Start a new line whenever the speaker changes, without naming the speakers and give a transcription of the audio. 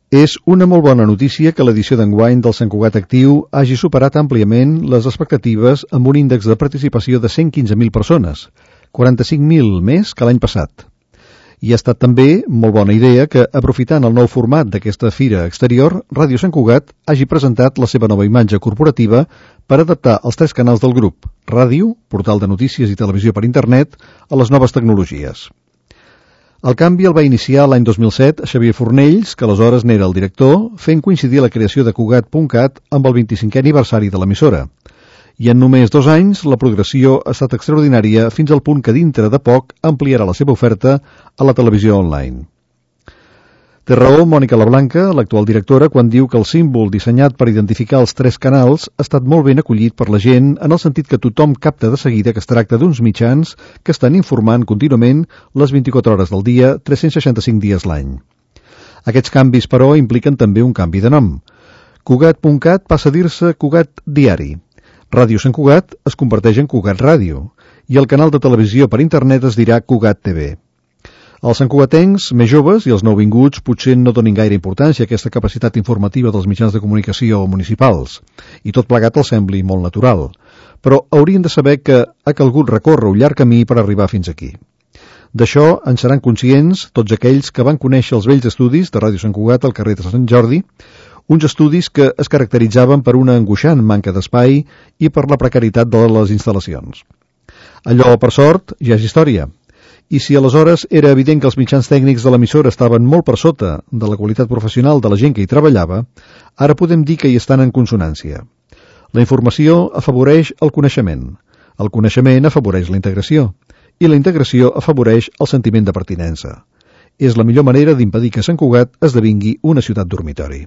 És una molt bona notícia que l'edició d'enguany del Sant Cugat Actiu hagi superat àmpliament les expectatives amb un índex de participació de 115.000 persones, 45.000 més que l'any passat. I ha estat també molt bona idea que, aprofitant el nou format d'aquesta fira exterior, Ràdio Sant Cugat hagi presentat la seva nova imatge corporativa per adaptar els 3 canals del grup, ràdio, portal de notícies i televisió per internet, a les noves tecnologies. El canvi el va iniciar l'any 2007 Xavier Fornells, que aleshores n'era el director, fent coincidir la creació de Cugat.cat amb el 25è aniversari de l'emissora. I en només 2 anys la progressió ha estat extraordinària fins al punt que dintre de poc ampliarà la seva oferta a la televisió online. Té raó Mònica Lablanca, l'actual directora, quan diu que el símbol dissenyat per identificar els 3 canals ha estat molt ben acollit per la gent en el sentit que tothom capta de seguida que es tracta d'uns mitjans que estan informant contínuament les 24 hores del dia, 365 dies l'any. Aquests canvis, però, impliquen també un canvi de nom. Cugat.cat passa a dir-se Cugat Diari. Ràdio Sant Cugat es converteix en Cugat Ràdio i el canal de televisió per internet es dirà Cugat TV. Els santcugatencs més joves i els nouvinguts potser no donin gaire importància a aquesta capacitat informativa dels mitjans de comunicació municipals, i tot plegat els sembli molt natural, però haurien de saber que ha calgut recórrer un llarg camí per arribar fins aquí. D'això en seran conscients tots aquells que van conèixer els vells estudis de Ràdio Sant Cugat al carrer de Sant Jordi, uns estudis que es caracteritzaven per una angoixant manca d'espai i per la precarietat de les instal·lacions. Allò, per sort, ja és història. I si aleshores era evident que els mitjans tècnics de l'emissora estaven molt per sota de la qualitat professional de la gent que hi treballava, ara podem dir que hi estan en consonància. La informació afavoreix el coneixement afavoreix la integració, i la integració afavoreix el sentiment de pertinença. És la millor manera d'impedir que Sant Cugat esdevingui una ciutat dormitori.